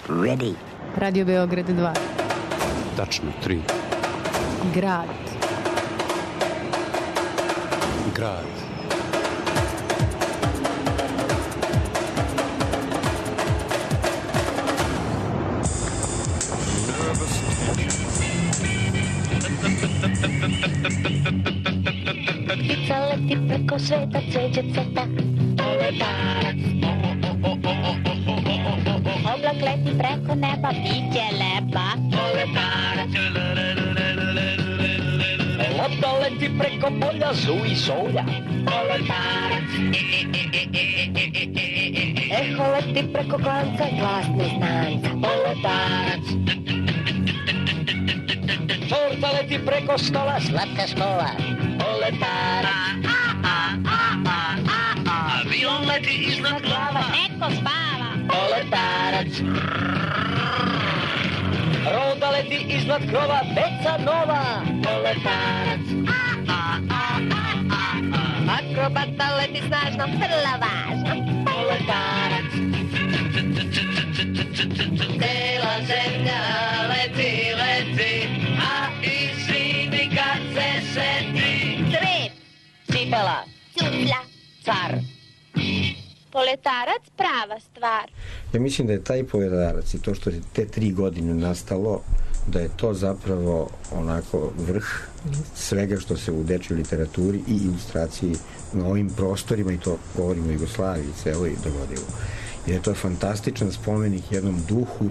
ready. Radio Beograd 2. Tačno 3. Grad. Grad. Ptica leti preko sveta, cveće cveta. Poletarac. Oblak leti preko neba, biće lepa. Poletarac. Lopta leti preko polja, zuji solja. Poletarac. Eho leti preko klanca, glas neznanca. Poletarac. Torta leti preko stola, Slatka škola. Poletarac. avion leti iznad glava. Neko spava. Poletarac. Roda leti iznad krova, deca nova. Poletarac. Akrobata leti snažno, vrlo važno. Poletarac. Cela zemlja leti, leti, a i svimi kad se seti. Cvet. Cipela, Cupla. car. Poletarac prava stvar. Ja mislim da je taj Poletarac i to što je te 3 godine nastalo, da je to zapravo onako vrh svega što se u dečjoj literaturi i ilustraciji na ovim prostorima, i to govorimo o Jugoslaviji celoj, dogodilo. Jer je to fantastičan spomenik jednom duhu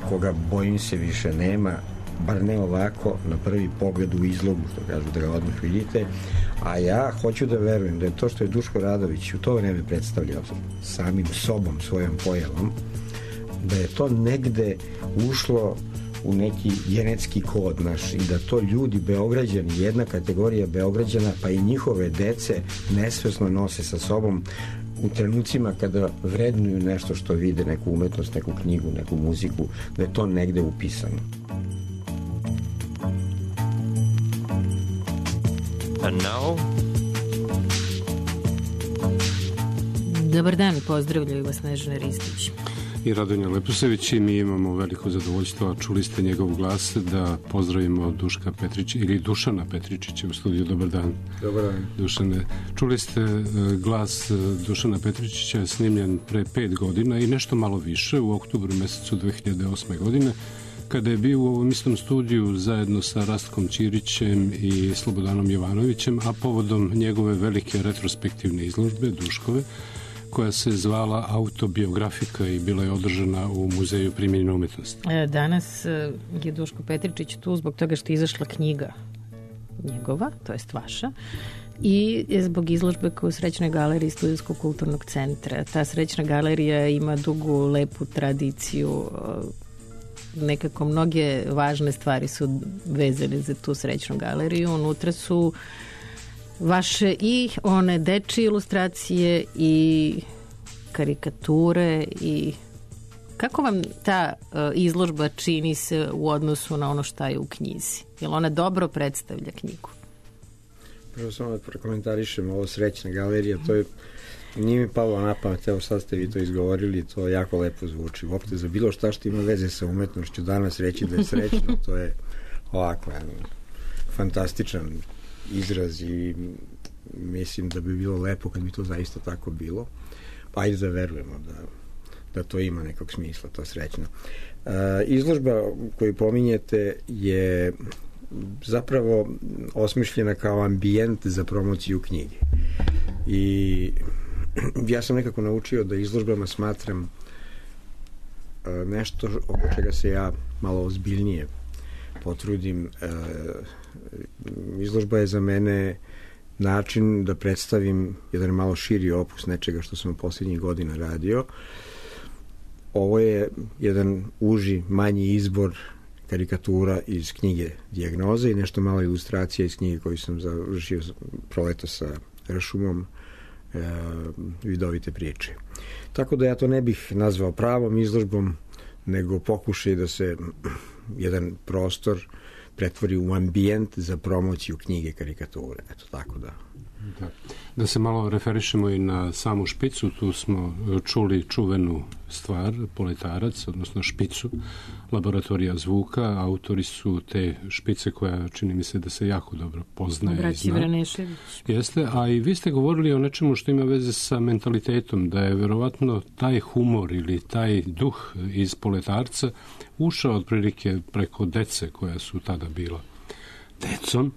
koga, bojim se, više nema, bar ne ovako na prvi pogled u izlogu, što kažu, da ga odmah vidite. A ja hoću da verujem da je to što je Duško Radović u to vreme predstavljao samim sobom, svojom pojavom, da je to negde ušlo u neki genetski kod naš i da to ljudi, Beograđani, jedna kategorija Beograđana, pa i njihove dece nesvesno nose sa sobom u trenucima kada vrednuju nešto što vide, neku umetnost, neku knjigu, neku muziku, da je to negde upisano. And now... Dobar dan, pozdravljaju vas Snežana Ristić i Radonja Leposević, i mi imamo veliko zadovoljstvo, a čuli ste njegov glas, da pozdravimo Duška Petričića ili Dušana Petričića u studiju. Dobar dan. Dobar dan. Dušane, čuli ste glas Dušana Petričića, snimljen pre 5 godina i nešto malo više, u oktobru mesecu 2008. godine, kada je bio u ovom istom studiju zajedno sa Rastkom Ćirićem i Slobodanom Jovanovićem, a povodom njegove velike retrospektivne izložbe Duškove, koja se zvala Autobiografika i bila je održana u Muzeju primenjene umetnosti. Danas je Duško Petričić tu zbog toga što je izašla knjiga njegova, to jest vaša, i zbog izložbe koja u Srećnoj galeriji Studentskog kulturnog centra. Ta Srećna galerija ima dugu, lepu tradiciju, nekako mnoge važne stvari su vezane za tu Srećnu galeriju. Unutra su vaše i one dečije ilustracije i karikature. I kako vam ta izložba čini se u odnosu na ono šta je u knjizi? Jel ona dobro predstavlja knjigu? Prvo samo da prokomentarišem ovo Srećna galerija, to je, nije mi palo na pamet, evo sad ste vi to izgovorili, to jako lepo zvuči. Uopšte za bilo šta što ima veze sa umetnošću danas reći da je srećno, to je ovako fantastičan izraz i mislim da bi bilo lepo kad bi to zaista tako bilo. Pa ajde da verujemo da to ima nekog smisla, to srećno. Izložba koju pominjete je zapravo osmišljena kao ambijent za promociju knjige. I ja sam nekako naučio da izložbama smatram nešto oko čega se ja malo ozbiljnije potrudim. Izložba je za mene način da predstavim jedan malo širi opus nečega što sam posljednjih godina radio. Ovo je jedan uži, manji izbor karikatura iz knjige Dijagnoze i nešto malo ilustracija iz knjige koju sam završio proleto sa Rašumom, Vidovite priče. Tako da ja to ne bih nazvao pravom izložbom, nego pokušaj da se jedan prostor pretvori u ambijent za promociju knjige karikature. Eto, tako da Da se malo referišemo i na samu špicu, tu smo čuli čuvenu stvar, Poletarac, odnosno špicu, laboratorija zvuka, autori su te špice koja čini mi se da se jako dobro poznaje i zna. Jeste, a i vi ste govorili o nečemu što ima veze sa mentalitetom, da je verovatno taj humor ili taj duh iz Poletarca ušao otprilike preko dece koja su tada bila decom,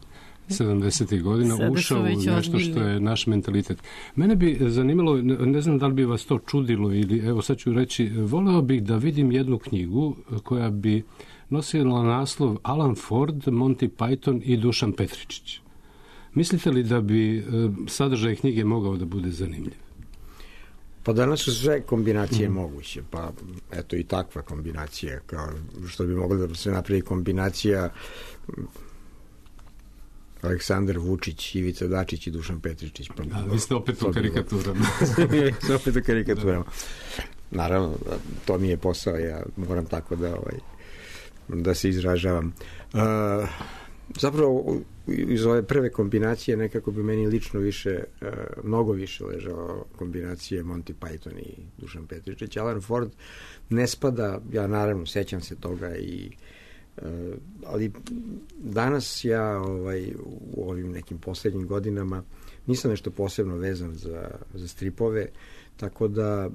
70. godina, ušao u nešto što je naš mentalitet. Mene bi zanimalo, ne znam da li bi vas to čudilo ili, evo sad ću reći, voleo bih da vidim jednu knjigu koja bi nosila naslov Alan Ford, Monty Python i Dušan Petričić. Mislite li da bi sadržaj knjige mogao da bude zanimljiv? Pa danas su sve kombinacije moguće, pa eto i takva kombinacija, kao što bi mogla da se napravi kombinacija Aleksandar Vučić, Ivica Dačić i Dušan Petričić. Pa, vi ste opet u karikaturama. opet u karikaturama. Naravno, to mi je posao, ja moram tako da se izražavam. Zapravo, iz ove prve kombinacije nekako bi meni lično mnogo više ležao kombinacije Monty Python i Dušan Petričić. Alan Ford ne spada, ja naravno sećam se toga ali danas ja u ovim nekim posljednjim godinama nisam nešto posebno vezan za stripove, tako da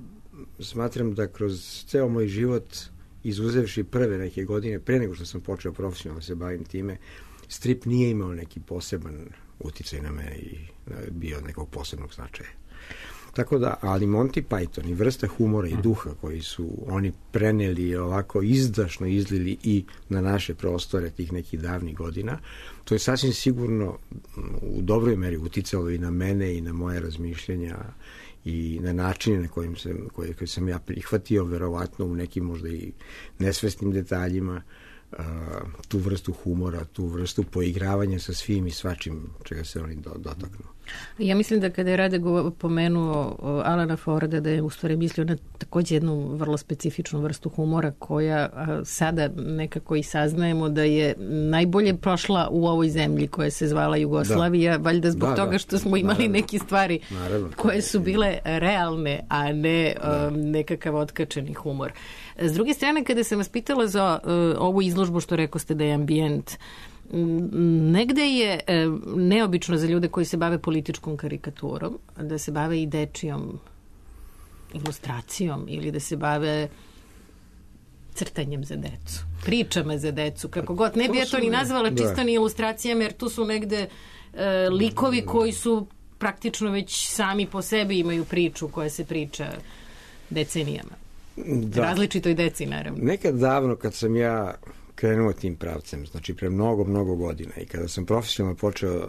smatram da kroz ceo moj život, izuzevši prve neke godine, pre nego što sam počeo profesionalno se bavim time, strip nije imao neki poseban uticaj na mene i bio od nekog posebnog značaja. Tako da, ali Monty Python i vrsta humora i duha koji su oni preneli ovako izdašno izlili i na naše prostore tih nekih davnih godina, to je sasvim sigurno u dobroj meri uticalo i na mene i na moje razmišljenja i na načine na koje sam ja prihvatio, verovatno u nekim možda i nesvesnim detaljima, tu vrstu humora, tu vrstu poigravanja sa svim i svačim čega se oni dotaknu. Ja mislim da kada je Rade pomenuo Alana Forda, da je u stvari mislio na također jednu vrlo specifičnu vrstu humora koja sada nekako i saznajemo da je najbolje prošla u ovoj zemlji koja se zvala Jugoslavija, valjda zbog toga što smo imali neke stvari koje su bile realne, a ne nekakav otkačeni humor. S druge strane, kada sam vas pitala za ovu izložbu što rekoste da je ambijent, negde je neobično za ljude koji se bave političkom karikaturom, da se bave i dečijom ilustracijom ili da se bave crtanjem za decu, pričama za decu, kako god. Ne bi ja to ni nazvala čisto ni ilustracijama, jer tu su negde likovi koji su praktično već sami po sebi imaju priču koja se priča decenijama. Različitoj deci, naravno. Nekad davno, kad sam ja krenuo tim pravcem, znači pre mnogo godina, i kada sam profesionalno počeo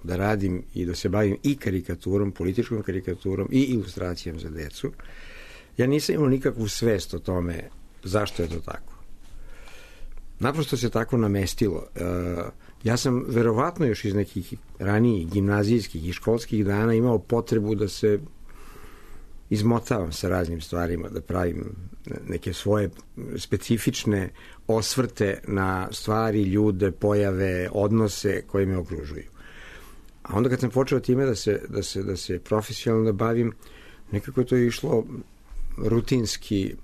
da radim i da se bavim i karikaturom, političkom karikaturom i ilustracijom za decu, ja nisam imao nikakvu svest o tome zašto je to tako. Naprosto se tako namestilo. Ja sam verovatno još iz nekih ranijih gimnazijskih i školskih dana imao potrebu da se izmotavam sa raznim stvarima, da pravim neke svoje specifične osvrte na stvari, ljude, pojave, odnose koje me okružuju. A onda kad sam počeo time da se profesionalno bavim, nekako je to išlo rutinski.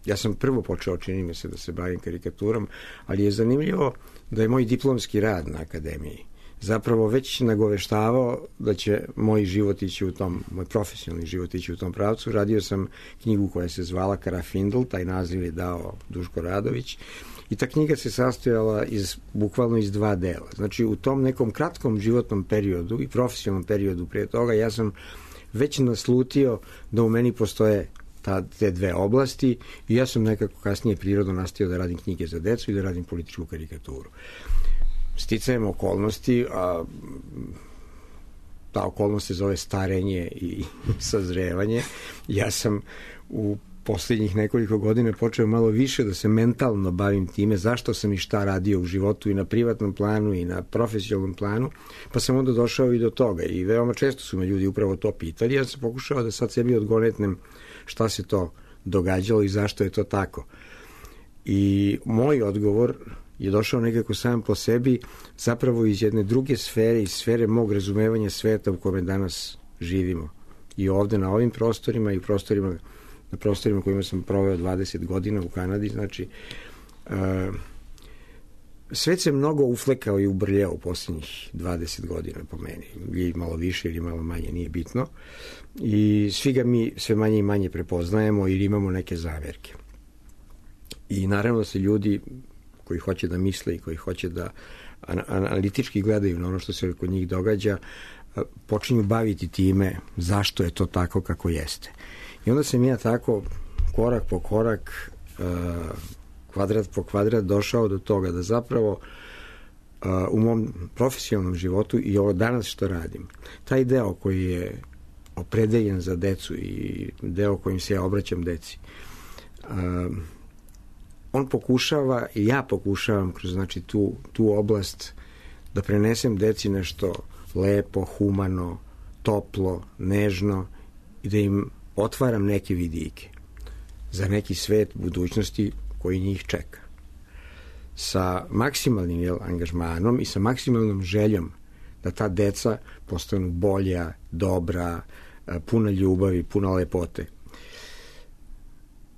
Ja sam prvo počeo, čini mi se, da se bavim karikaturom, ali je zanimljivo da je moj diplomski rad na akademiji zapravo već nagoveštavao da će moj život ići moj profesionalni život ići u tom pravcu. Radio sam knjigu koja se zvala Karafindl, taj naziv je dao Duško Radović, i ta knjiga se sastojala bukvalno iz 2 dela. Znači, u tom nekom kratkom životnom periodu i profesionalnom periodu prije toga ja sam već naslutio da u meni postoje te 2 oblasti i ja sam nekako kasnije prirodno nastavio da radim knjige za decu i da radim političku karikaturu. Sticajem okolnosti, a ta okolnost se zove starenje i sazrevanje. Ja sam u posljednjih nekoliko godina počeo malo više da se mentalno bavim time zašto sam i šta radio u životu i na privatnom planu i na profesionalnom planu, pa sam onda došao i do toga i veoma često su me ljudi upravo to pitali. Ja sam pokušao da sad sebi odgonetnem šta se to događalo i zašto je to tako. I moj odgovor je došao nekako sam po sebi, zapravo iz jedne druge sfere, iz sfere mog razumevanja sveta u kome danas živimo. I ovde na ovim prostorima i na prostorima kojima sam proveo 20 godina u Kanadi, znači svet se mnogo uflekao i ubrljao u posljednjih 20 godina po meni. Ili malo više ili malo manje, nije bitno. I svi ga mi sve manje i manje prepoznajemo ili imamo neke zamerke. I naravno da se ljudi koji hoće da misle i koji hoće da analitički gledaju na ono što se kod njih događa, počinju baviti time zašto je to tako kako jeste. I onda sam ja tako korak po korak, kvadrat po kvadrat došao do toga da zapravo u mom profesionalnom životu i ovo danas što radim, taj deo koji je opredeljen za decu i deo kojim se ja obraćam deci, on pokušava i ja pokušavam kroz znači tu oblast da prenesem deci nešto lepo, humano, toplo, nežno i da im otvaram neke vidike za neki svet budućnosti koji njih čeka. Sa maksimalnim angažmanom i sa maksimalnom željom da ta deca postanu bolja, dobra, puna ljubavi, puna lepote.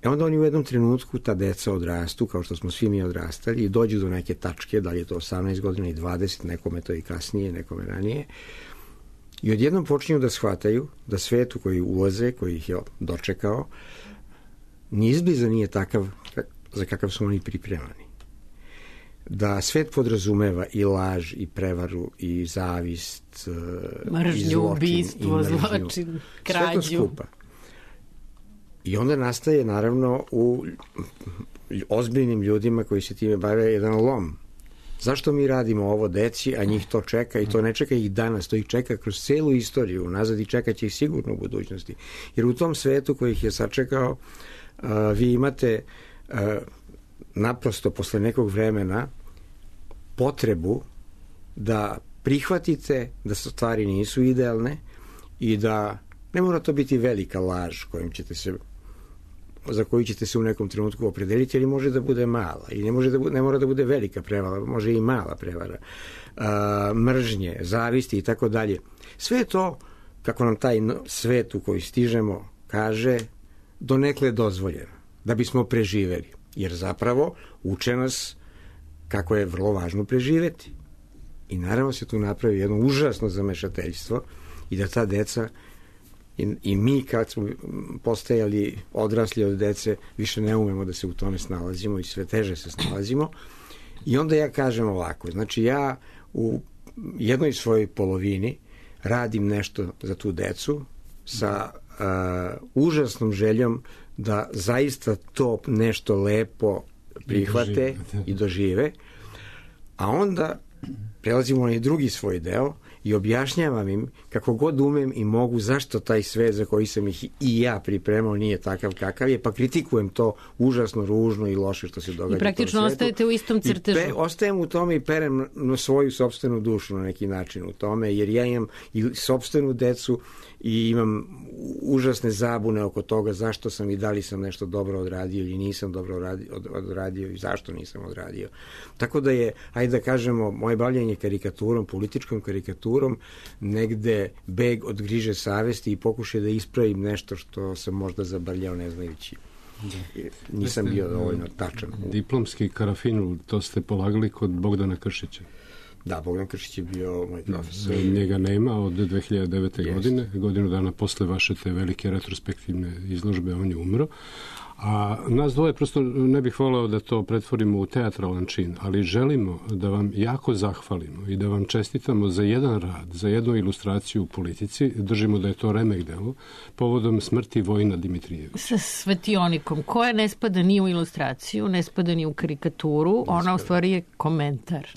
Onda oni u jednom trenutku, ta deca odrastu, kao što smo svi mi odrastali, i dođu do neke tačke, da li je to 18 godina i 20, nekome to i kasnije, nekome ranije, i odjednom počinju da shvataju da svet u koji ulaze, koji ih je dočekao, ni izbliza nije takav za kakav su oni pripremani. Da svet podrazumeva i laž, i prevaru, i zavist, mržnju, i zločin, ubistvo, zločin, krađu. Sve to skupa. I onda nastaje, naravno, u ozbiljnim ljudima koji se time bave jedan lom. Zašto mi radimo ovo deci, a njih to čeka i to ne čeka ih danas, to ih čeka kroz celu istoriju, nazad i čekat će ih sigurno u budućnosti. Jer u tom svetu koji ih je sačekao, vi imate naprosto posle nekog vremena potrebu da prihvatite da stvari nisu idealne i da ne mora to biti velika laž za koju ćete se u nekom trenutku opredeliti, ali može da bude mala i ne mora da bude velika prevara, može i mala prevara, mržnje, zavisti i tako dalje. Sve to, kako nam taj svet u koji stižemo kaže, donekle dozvoljeno, da bismo preživeli. Jer zapravo uče nas kako je vrlo važno preživeti. I naravno se tu napravi jedno užasno zamešateljstvo i da ta deca i mi kad smo postajali odrasli od dece više ne umemo da se u tome snalazimo i sve teže se snalazimo. I onda ja kažem ovako, znači ja u jednoj svojoj polovini radim nešto za tu decu sa užasnom željom da zaista to nešto lepo prihvate i dožive, a onda prelazimo na i drugi svoj deo i objašnjavam im kako god umem i mogu zašto taj svet za koji sam ih i ja pripremao nije takav kakav je, pa kritikujem to užasno ružno i loše što se događa. I praktično ostajete u istom crtežu. Ostajem u tome i perem na svoju sopstvenu dušu na neki način u tome, jer ja imam i sopstvenu decu i imam užasne zabune oko toga zašto sam i da li sam nešto dobro odradio ili nisam dobro odradio i zašto nisam odradio. Tako da je, ajde da kažemo, moje bavljanje karikaturom, političkom karikaturom, negde beg od griže savesti i pokušaj da ispravim nešto što sam možda zabrljao ne znajući. Nisam bio dovoljno tačan. Diplomski karafinul, to ste polagali kod Bogdana Kršića. Da, Bogdan Kršić je bio moj profesor. Njega nema od 2009. godine, godinu dana posle vaše te velike retrospektivne izložbe, on je umro. A nas dvoje prosto ne bih voleo da to pretvorimo u teatralan čin, ali želimo da vam jako zahvalimo i da vam čestitamo za jedan rad, za jednu ilustraciju u politici. Držimo da je to remek delo, povodom smrti Vojina Dimitrijevića. Sa svetionikom, koja ne spada ni u ilustraciju, ne spada ni u karikaturu, ona u stvari je komentar.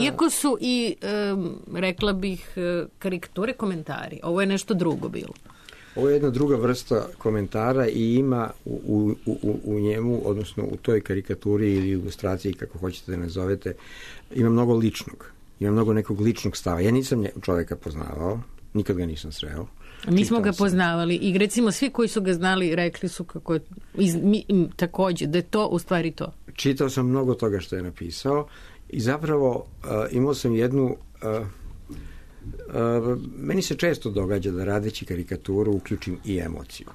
Iako su i, rekla bih, karikature komentari, ovo je nešto drugo bilo. Ovo je jedna druga vrsta komentara i ima u njemu, odnosno u toj karikaturi ili ilustraciji, kako hoćete da nazovete, ima mnogo ličnog. Ima mnogo nekog ličnog stava. Ja nisam čoveka poznavao, nikad ga nisam sreo. Mi smo ga poznavali i recimo svi koji su ga znali rekli su kako je takođe, da je to u stvari to. čitao sam mnogo toga što je napisao i zapravo imao sam jednu... meni se često događa da radeći karikaturu uključim i emociju.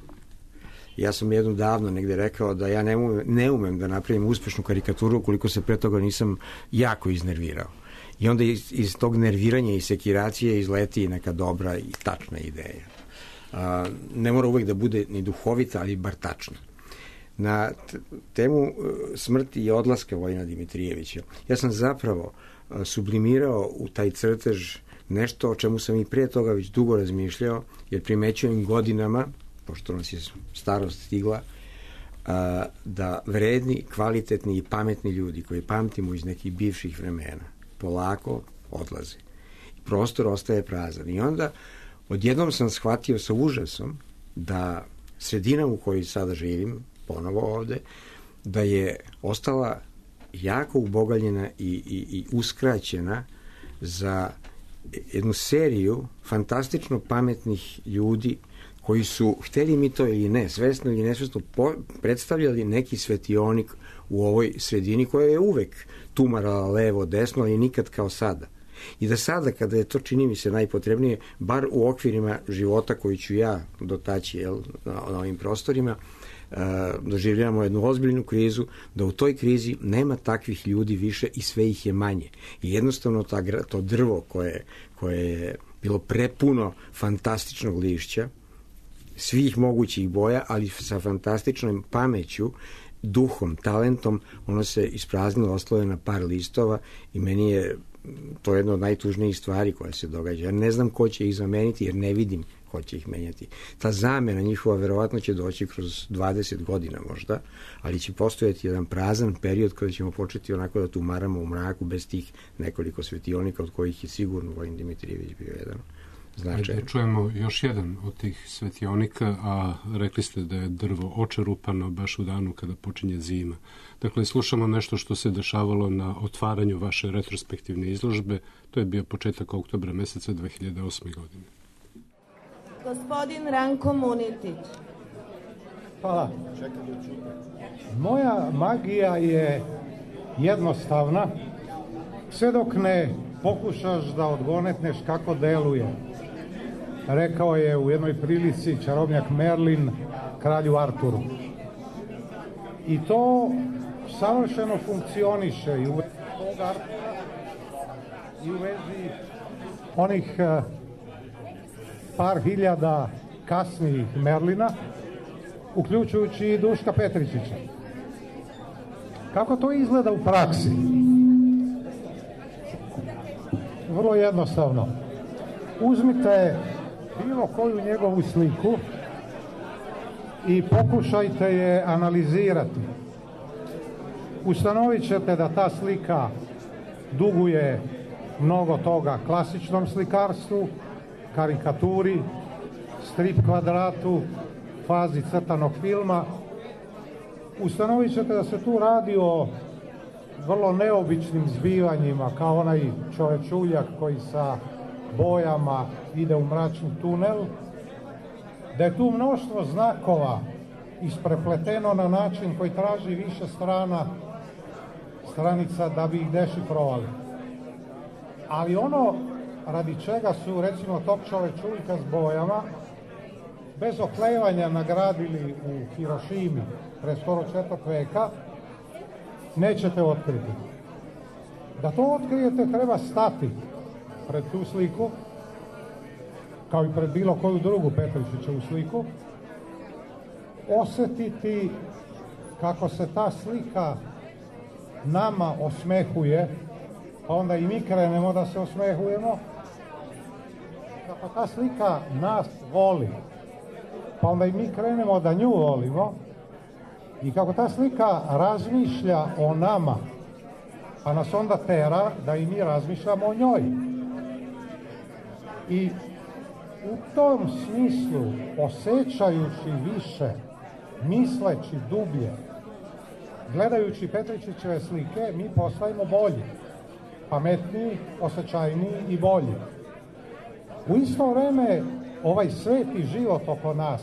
Ja sam jednom davno negde rekao da ja ne umem da napravim uspešnu karikaturu ukoliko se pre toga nisam jako iznervirao. I onda iz tog nerviranja i sekiracije izleti neka dobra i tačna ideja. Ne mora uvek da bude ni duhovita, ali bar tačna. Na temu smrti i odlaska Vojina Dimitrijevića, ja sam zapravo sublimirao u taj crtež nešto o čemu sam i prije toga već dugo razmišljao, jer primećujem godinama, pošto nas je starost stigla, da vredni, kvalitetni i pametni ljudi koji pamtimo iz nekih bivših vremena polako odlaze. Prostor ostaje prazan. I onda odjednom sam shvatio sa užasom da sredina u kojoj sada živim, ponovo ovde, da je ostala jako ubogaljena i uskraćena za jednu seriju fantastično pametnih ljudi koji su, hteli mi to ili ne, svesno ili nesvesno, predstavljali neki svetionik u ovoj sredini koja je uvek tumarala levo, desno, ali nikad kao sada. I da sada, kada je to, čini mi se, najpotrebnije, bar u okvirima života koji ću ja dotaći na ovim prostorima, doživljavamo jednu ozbiljnu krizu, da u toj krizi nema takvih ljudi više i sve ih je manje. I jednostavno to drvo koje je bilo prepuno fantastičnog lišća, svih mogućih boja, ali sa fantastičnom pameću, duhom, talentom, ono se ispraznilo, ostalo je na par listova i meni je to jedna od najtužnijih stvari koja se događa. Ja ne znam ko će ih zameniti, jer ne vidim ko će ih menjati. Ta zamena njihova verovatno će doći kroz 20 godina možda, ali će postojati jedan prazan period kada ćemo početi onako da tumaramo u mraku bez tih nekoliko svetionika, od kojih je sigurno Vojin Dimitrijević bio jedan značajan. Da čujemo još jedan od tih svetionika, a rekli ste da je drvo očerupano baš u danu kada počinje zima. Dakle, slušamo nešto što se dešavalo na otvaranju vaše retrospektivne izložbe. To je bio početak oktobra meseca 2008. godine. Gospodin Ranko Munitić. Hvala. Moja magija je jednostavna, sve dok ne pokušaš da odgonetneš kako deluje. Rekao je u jednoj prilici čarobnjak Merlin kralju Arturu. I to savršeno funkcioniše i u vezi tog Artura i u vezi onih par hiljada kasnijih Merlina, uključujući i Duška Petričića. Kako to izgleda u praksi? Vrlo jednostavno. Uzmite bilo koju njegovu sliku i pokušajte je analizirati. Ustanovit ćete da ta slika duguje mnogo toga klasičnom slikarstvu, karikaturi, strip kvadratu, fazi crtanog filma. Ustanovit ćete da se tu radi o vrlo neobičnim zbivanjima, kao onaj čovečuljak koji sa bojama ide u mračni tunel, da je tu mnoštvo znakova isprepleteno na način koji traži više stranica da bi ih dešifrovali. Ali ono radi čega su, recimo, tog čovečuljka s bojama bez oklevanja nagradili u Hirošimi pre skoro 4. veka, nećete otkriti. Da to otkrijete, treba stati pred tu sliku, kao i pred bilo koju drugu Petričićevu sliku, osjetiti kako se ta slika nama osmehuje, pa onda i mi krenemo da se osmehujemo, kako ta slika nas voli, pa onda i mi krenemo da nju volimo, i kako ta slika razmišlja o nama, pa nas onda tera da i mi razmišljamo o njoj. I u tom smislu, osjećajući više, misleći dublje, gledajući Petričićeve slike, mi postajemo bolji, pametniji, osjećajniji i bolji. U isto vreme, ovaj svet i život oko nas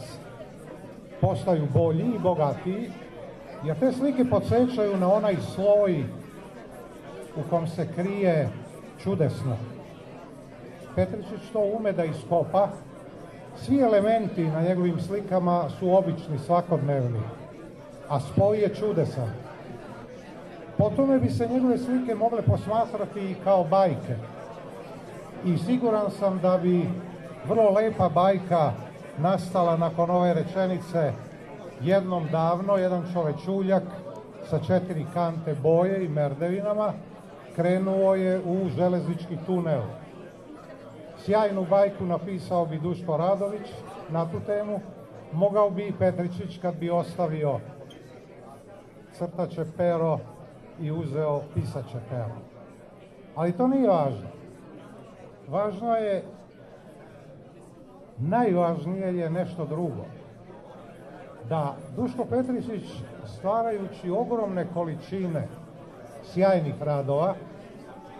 postaju bolji i bogatiji, Jer te slike podsjećaju na onaj sloj u kom se krije čudesno. Petričić to ume da iskopa. Svi elementi na njegovim slikama su obični, svakodnevni, a spoj je čudesan. Po tome bi se njegove slike mogle posmatrati i kao bajke. I siguran sam da bi vrlo lepa bajka nastala nakon ove rečenice: jednom davno jedan čovečuljak sa 4 kante boje i merdevinama krenuo je u železnički tunel. Sjajnu bajku napisao bi Duško Radović na tu temu, mogao bi i Petričić kad bi ostavio crtaće pero i uzeo pisaće pero. Ali to nije važno. Važno je, najvažnije je nešto drugo. Da Duško Petričić, stvarajući ogromne količine sjajnih radova,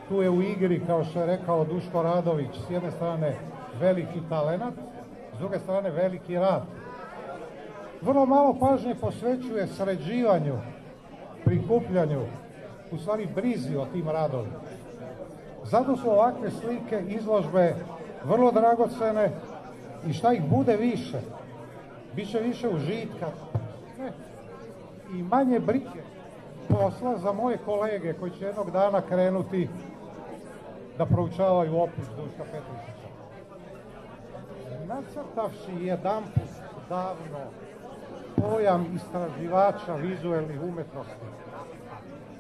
tu je u igri, kao što je rekao Duško Radović, s jedne strane veliki talenat, s druge strane veliki rad. Vrlo malo pažnje posvećuje sređivanju, prikupljanju, u stvari brizi o tim radovima. Zato su ovakve slike, izložbe vrlo dragocene i šta ih bude više, bit će više užitka i manje brige posla za moje kolege koji će jednog dana krenuti da proučavaju opus Duška Petričića. Nacrtavši jedanput davno pojam istraživača vizuelnih umetnosti,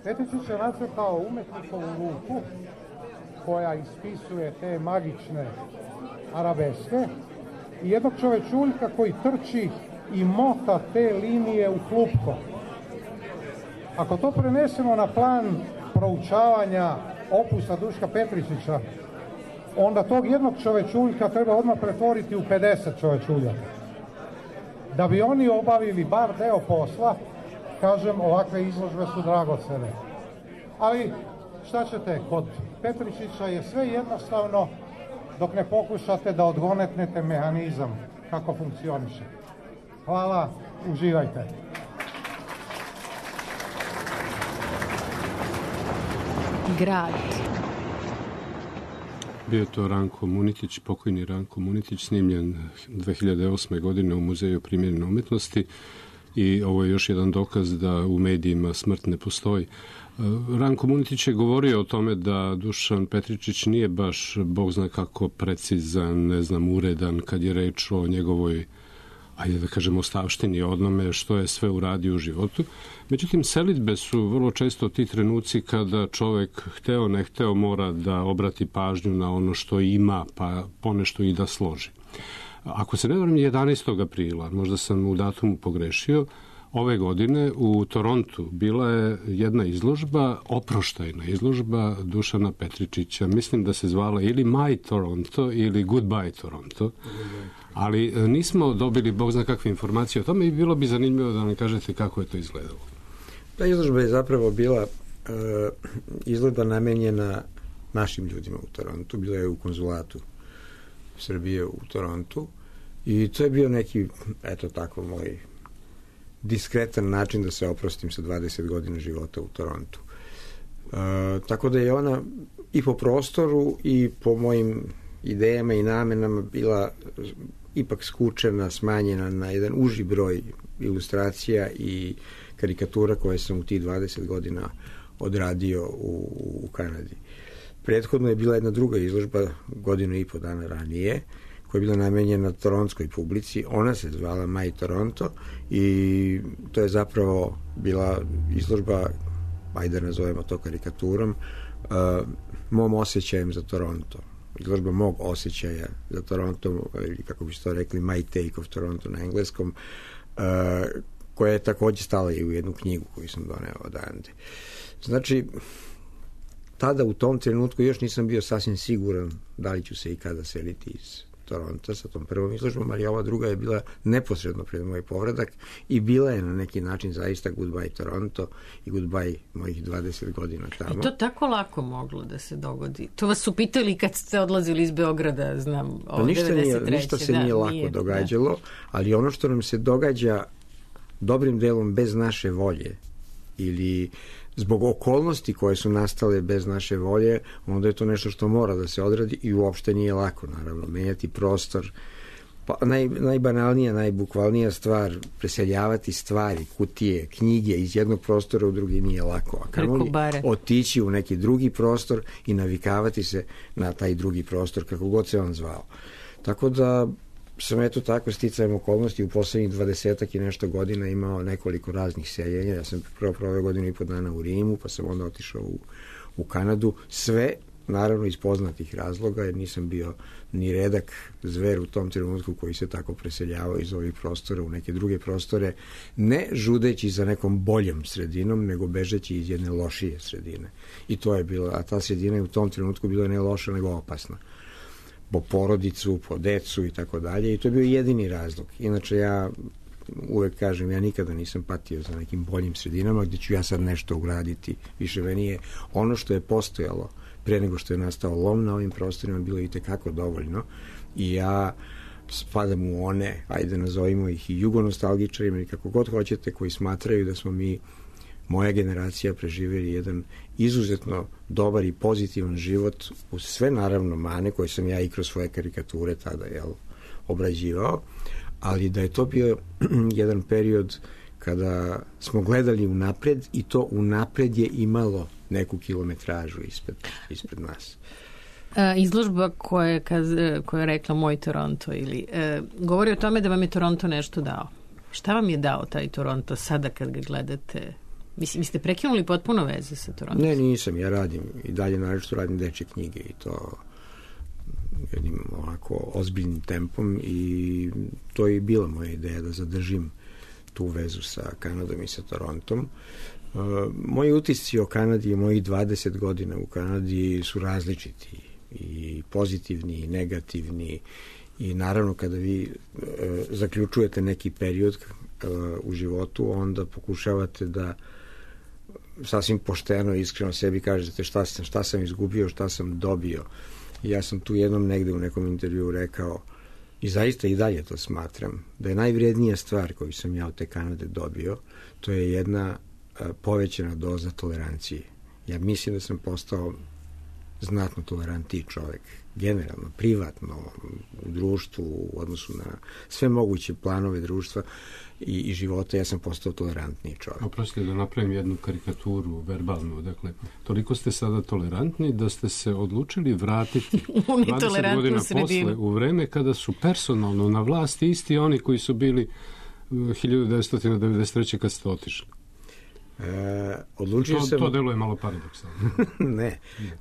Petričić je nacrtao umetnikovu ruku koja ispisuje te magične arabeske i jednog čovečuljka koji trči i mota te linije u klupko. Ako to prenesemo na plan proučavanja opusa Duška Petričića, onda tog jednog čovečuljka treba odmah pretvoriti u 50 čovečuljaka. Da bi oni obavili bar deo posla, kažem, ovakve izložbe su dragocene. Ali šta ćete, kod Petričića je sve jednostavno dok ne pokušate da odgonetnete mehanizam kako funkcioniše. Hvala, uživajte. Grad. Bio je to Ranko Munitić, pokojni Ranko Munitić, snimljen 2008. godine u Muzeju primjerene umetnosti i ovo je još jedan dokaz da u medijima smrt ne postoji. Ranko Munitić je govorio o tome da Dušan Petričić nije baš, Bog zna kako, precizan, uredan kad je reč o njegovoj, ajde da kažemo, ostavštini, onome što je sve uradio u životu. Međutim, selidbe su vrlo često ti trenuci kada čovek, hteo ne hteo, mora da obrati pažnju na ono što ima, pa ponešto i da složi. Ako se ne varam, 11. aprila, možda sam u datumu pogrešio, ove godine u Torontu bila je jedna izložba, oproštajna izložba Dušana Petričića. Mislim da se zvala ili My Toronto ili Goodbye Toronto. Ali nismo dobili Bog zna kakve informacije o tome i bilo bi zanimljivo da nam kažete kako je to izgledalo. Ta izložba je zapravo bila izložba namenjena našim ljudima u Torontu. Bila je u konzulatu Srbije u Torontu i to je bio neki, eto tako, moj diskretan način da se oprostim sa 20 godina života u Torontu. Tako da je ona i po prostoru i po mojim idejama i namenama bila ipak skučena, smanjena na jedan uži broj ilustracija i karikatura koje sam u tih 20 godina odradio u Kanadi. Prethodno je bila jedna druga izložba, 1.5 dana ranije, koja je bila namenjena toronskoj publici. Ona se zvala My Toronto i to je zapravo bila izložba, ajde da nazovemo to karikaturom, mom osjećajem za Toronto. Izložba mog osjećaja za Toronto, ili kako bi se to rekli, My Take of Toronto na engleskom, koja je takođe stala i u jednu knjigu koju sam doneo odande. Znači, tada u tom trenutku još nisam bio sasvim siguran da li ću se i kada seliti iz Toronta sa tom prvom izložbom, ali ova druga je bila neposredno pred moj povratak i bila je na neki način zaista Goodbye Toronto i Goodbye mojih 20 godina tamo. I to tako lako moglo da se dogodi. To vas su pitali kad ste odlazili iz Beograda, znam, pa ništa se nije lako događalo, ali ono što nam se događa dobrim delom bez naše volje ili zbog okolnosti koje su nastale bez naše volje, onda je to nešto što mora da se odradi i uopšte nije lako, naravno, menjati prostor. Pa najbanalnija, najbukvalnija stvar, preseljavati stvari, kutije, knjige iz jednog prostora u drugi nije lako. A kamoli otići u neki drugi prostor i navikavati se na taj drugi prostor, kako god se on zvao. Tako da sam eto tako sticajem okolnosti u poslednjih 20 i nešto godina imao nekoliko raznih seljenja. Ja sam prvo proveo 1.5 godina u Rimu, pa sam onda otišao u Kanadu. Sve, naravno, iz poznatih razloga, jer nisam bio ni redak zver u tom trenutku koji se tako preseljavao iz ovih prostora u neke druge prostore, ne žudeći za nekom boljom sredinom, nego bežeći iz jedne lošije sredine. I to je bilo, a ta sredina je u tom trenutku bila ne loša, nego opasna. Po porodicu, po decu i tako dalje. I to je bio jedini razlog. Inače, ja uvek kažem, ja nikada nisam patio za nekim boljim sredinama gde ću ja sad nešto ugraditi. Više meni je ono što je postojalo pre nego što je nastao lom na ovim prostorima bilo i tekako dovoljno. I ja spadam u one, ajde nazovimo ih i jugonostalgičarima ili kako god hoćete, koji smatraju da smo mi, moja generacija, preživjeli jedan izuzetno dobar i pozitivan život uz sve naravno mane koje sam ja i kroz svoje karikature tada obrađivao, ali da je to bio jedan period kada smo gledali unapred i to unapred je imalo neku kilometražu ispred nas. Izložba koja je rekla Moj Toronto govori o tome da vam je Toronto nešto dao. Šta vam je dao taj Toronto sada kad ga gledate? Vi ste prekinuli potpuno veze sa Torontom? Ne, nisam. Ja radim i dalje naročito radim dečje knjige i to jednim ovako ozbiljnim tempom i to je i bila moja ideja da zadržim tu vezu sa Kanadom i sa Torontom. Moji utisci o Kanadi i mojih 20 godina u Kanadi su različiti i pozitivni i negativni i naravno kada vi zaključujete neki period u životu, onda pokušavate da sasvim pošteno i iskreno sebi kažete šta sam izgubio, šta sam dobio. I ja sam tu jednom negde u nekom intervjuu rekao i zaista i dalje to smatram, da je najvrednija stvar koju sam ja od te Kanade dobio, to je jedna povećana doza tolerancije. Ja mislim da sam postao znatno tolerantniji čovek, generalno, privatno, u društvu, u odnosu na sve moguće planove društva i života, ja sam postao tolerantniji čovek. Oprostite da napravim jednu karikaturu verbalnu, dakle, toliko ste sada tolerantni da ste se odlučili vratiti 20 godina posle u vreme kada su personalno na vlasti isti oni koji su bili 1993. kad ste otišli. To deluje malo paradoksalno.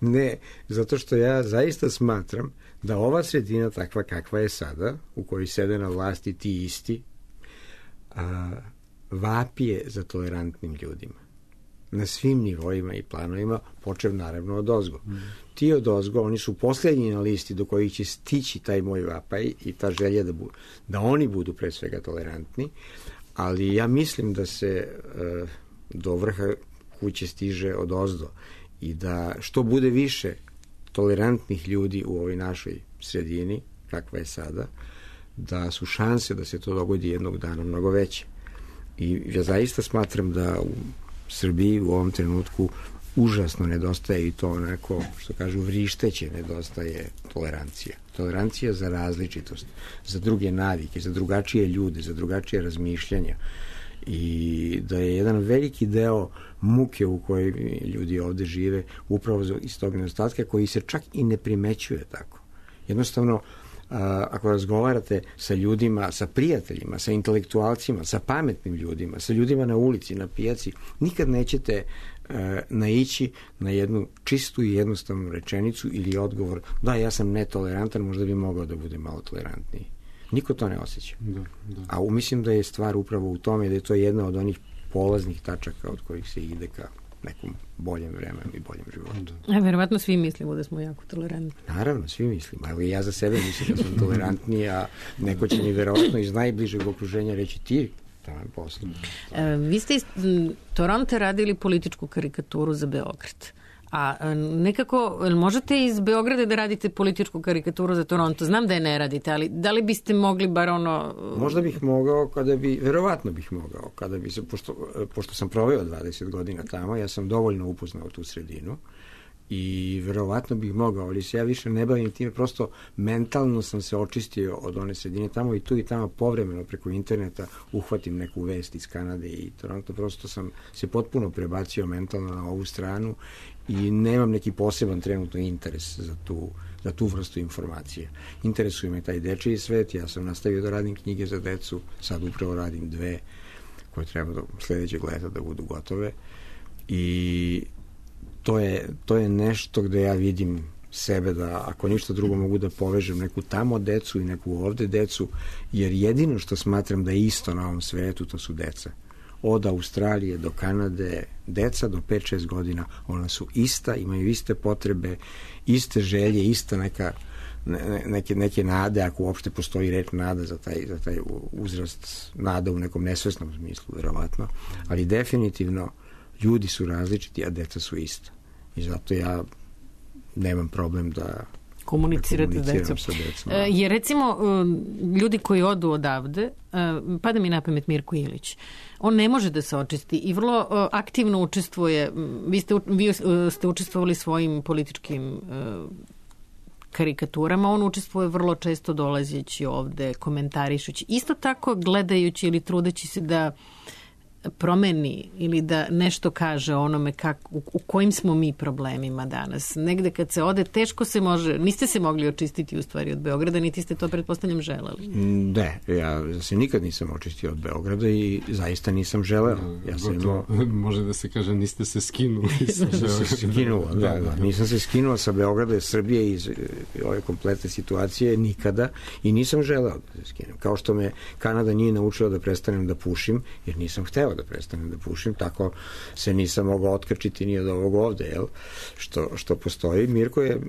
Ne, zato što ja zaista smatram da ova sredina takva kakva je sada, u kojoj sede na vlasti ti isti, vapije za tolerantnim ljudima. Na svim nivoima i planovima, počev naravno od ozgo. Ti od ozgo, oni su posljednji na listi do kojih će stići taj moj vapaj i ta želja da oni budu pre svega tolerantni, ali ja mislim da se do vrha kuće stiže od ozdo i da što bude više tolerantnih ljudi u ovoj našoj sredini, kakva je sada, da su šanse da se to dogodi jednog dana mnogo veće. I ja zaista smatram da u Srbiji u ovom trenutku užasno nedostaje i to onako, što kažu, vrišteće nedostaje tolerancija. Tolerancija za različitost, za druge navike, za drugačije ljude, za drugačije razmišljanja. I da je jedan veliki deo muke u kojoj ljudi ovde žive upravo iz tog nedostatka koji se čak i ne primećuje tako. Jednostavno, ako razgovarate sa ljudima, sa prijateljima, sa intelektualcima, sa pametnim ljudima, sa ljudima na ulici, na pijaci, nikad nećete naići na jednu čistu i jednostavnu rečenicu ili odgovor da, ja sam netolerantan, možda bi mogao da bude malo tolerantniji. Niko to ne osjeća. Da. A mislim da je stvar upravo u tome da je to jedna od onih polaznih tačaka od kojih se ide ka nekom boljem vremenu i boljem životu. Verovatno svi mislimo da smo jako tolerantni. Naravno, svi mislimo. Evo i ja za sebe mislim da sam tolerantniji, a neko će mi verovatno iz najbližeg okruženja reći ti tamo poslu. Vi ste iz Toronto radili političku karikaturu za Beograd. A nekako, možete iz Beograda da radite političku karikaturu za Toronto? Znam da je ne radite, ali da li biste mogli bar ono... Možda bih mogao verovatno bih mogao, kada bi se, pošto sam proveo 20 godina tamo, ja sam dovoljno upoznao tu sredinu i verovatno bih mogao, ali se ja više ne bavim time, prosto mentalno sam se očistio od one sredine tamo i tu i tamo povremeno preko interneta uhvatim neku vest iz Kanade i Toronto, prosto sam se potpuno prebacio mentalno na ovu stranu i nemam neki poseban trenutno interes za tu vrstu informacije. Interesuje me taj dečiji svet, ja sam nastavio da radim knjige za decu, sad upravo radim 2 koje treba do sledećeg leta da budu gotove i to je nešto gde ja vidim sebe da, ako ništa drugo, mogu da povežem neku tamo decu i neku ovde decu, jer jedino što smatram da je isto na ovom svetu, to su deca. Od Australije do Kanade, deca do 5-6 godina, ona su ista, imaju iste potrebe, iste želje, ista neke nade, ako uopšte postoji reč nada za taj uzrast, nada u nekom nesvesnom smislu, verovatno, ali definitivno ljudi su različiti, a deca su ista. I zato ja nemam problem da komunicirate decom. Jer recimo ljudi koji odu odavde, pada mi na pamet Mirko Ilić, on ne može da se očisti i vrlo aktivno učestvuje. Vi ste učestvovali svojim političkim karikaturama, on učestvuje vrlo često dolazeći ovde, komentarišući, isto tako gledajući ili trudeći se da promeni ili da nešto kaže o onome u kojim smo mi problemima danas. Negde kad se ode, teško se može, niste se mogli očistiti u stvari od Beograda, niti ste to, pretpostavljam, želeli. Ne, ja se nikad nisam očistio od Beograda i zaista nisam želeo. Može da se kaže, niste se skinuli sa Beograda. Nisam se skinuo sa Beograda, Srbije iz ove kompletne situacije nikada i nisam želeo da se skinem. Kao što me Kanada nije naučila da prestanem da pušim, jer nisam hteo da prestanem da pušim, tako se nisam mogao otkačiti ni od ovog ovde, jel? Što postoji. Mirko je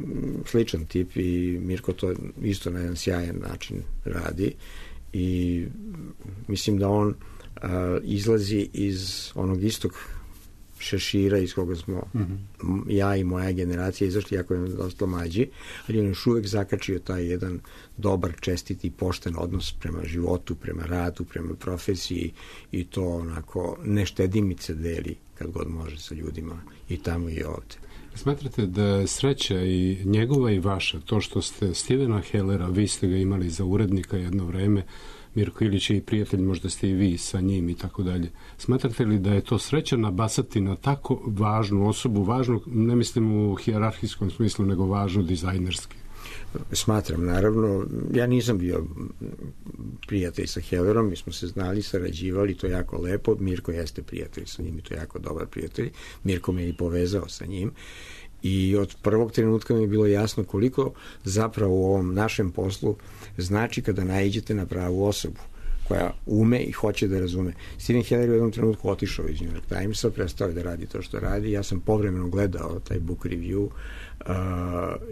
sličan tip i Mirko to isto na jedan sjajan način radi i mislim da on izlazi iz onog istog šešira iz koga smo ja i moja generacija izašli, jako je dosta mlađi, ali on još uvek zakačio taj jedan dobar, čestit i pošten odnos prema životu, prema radu, prema profesiji i to onako neštedimice deli kad god može sa ljudima i tamo i ovde. Smatrate da je sreća i njegova i vaša, to što ste Stevena Hellera, vi ste ga imali za urednika jedno vreme, Mirko Ilić je i prijatelj, možda ste i vi sa njim i tako dalje. Smatrate li da je to sreća nabasati na tako važnu osobu, važnu, ne mislim u hijerarhijskom smislu, nego važnu dizajnerski? Smatram, naravno. Ja nisam bio prijatelj sa Hellerom, mi smo se znali, sarađivali, to je jako lepo. Mirko jeste prijatelj sa njim i to je jako dobar prijatelj. Mirko me je i povezao sa njim. I od prvog trenutka mi je bilo jasno koliko zapravo u ovom našem poslu znači kada naiđete na pravu osobu koja ume i hoće da razume. Steven Heller u jednom trenutku otišao iz New York Timesa, prestao je da radi to što radi. Ja sam povremeno gledao taj book review,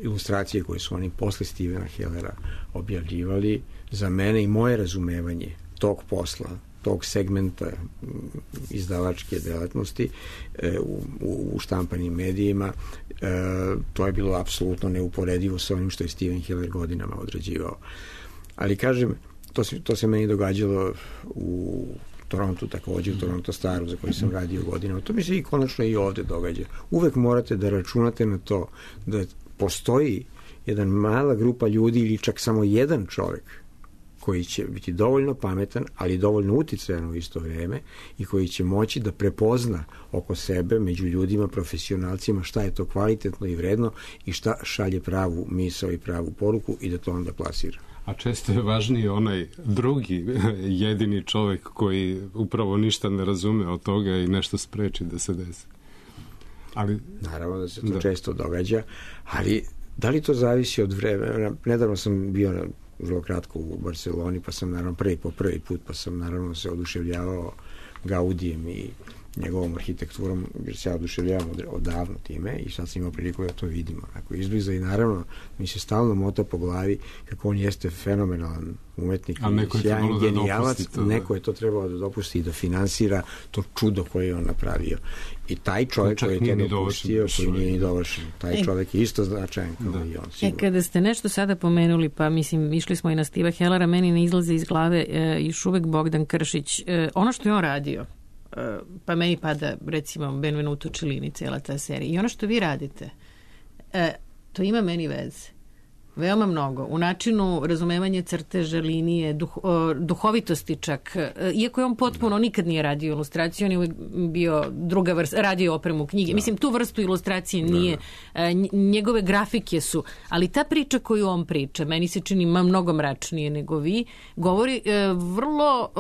ilustracije koje su oni posle Stevena Hellera objavljivali. Za mene i moje razumevanje tog posla, tog segmenta izdavačke delatnosti u štampanim medijima, to je bilo apsolutno neuporedivo sa onim što je Steven Heller godinama odrađivao. Ali kažem, to se meni događalo u Torontu takođe, u Toronto Staru za koji sam radio godinama. To mi se i konačno i ovde događa. Uvek morate da računate na to da postoji jedna mala grupa ljudi ili čak samo jedan čovek koji će biti dovoljno pametan, ali dovoljno uticajan u isto vreme i koji će moći da prepozna oko sebe, među ljudima, profesionalcima, šta je to kvalitetno i vredno i šta šalje pravu misao i pravu poruku i da to onda plasira. A često je važniji onaj drugi, jedini čovek koji upravo ništa ne razume od toga i nešto spreči da se desi. Ali, naravno da se to često događa, ali da li to zavisi od vremena? Nedavno sam bio vrlo kratko u Barceloni, pa sam naravno prvi put, pa sam naravno se oduševljavao Gaudijem i njegovom arhitekturom, jer se ja oduševljavam odavno time i sad sam imao priliku da to vidimo onako izbliza i naravno mi se stalno mota po glavi kako on jeste fenomenalan umetnik i sjajan genijalac, neko je to trebalo da dopusti i da finansira to čudo koje je on napravio. I taj čovjek koji je to dopustio, koji nije ni dovršen, taj čovjek je isto značajan kao i on. Sigurno. Kada ste nešto sada pomenuli, pa mislim, išli smo i na Steva Hellera, meni ne izlaze iz glave još uvek Bogdan Kršić. Ono što je on radio, pa meni pada recimo Benvenuto Cellini, cijela ta serija. I ono što vi radite, to ima meni veze. Veoma mnogo. U načinu razumevanja crteža, linije, duhovitosti čak. Iako je on potpuno, nikad nije radio ilustraciju, on je uvijek bio druga vrsta, radio opremu knjige. Mislim, tu vrstu ilustracije nije. Njegove grafike su. Ali ta priča koju on priča, meni se čini mnogo mračnije nego vi, govori vrlo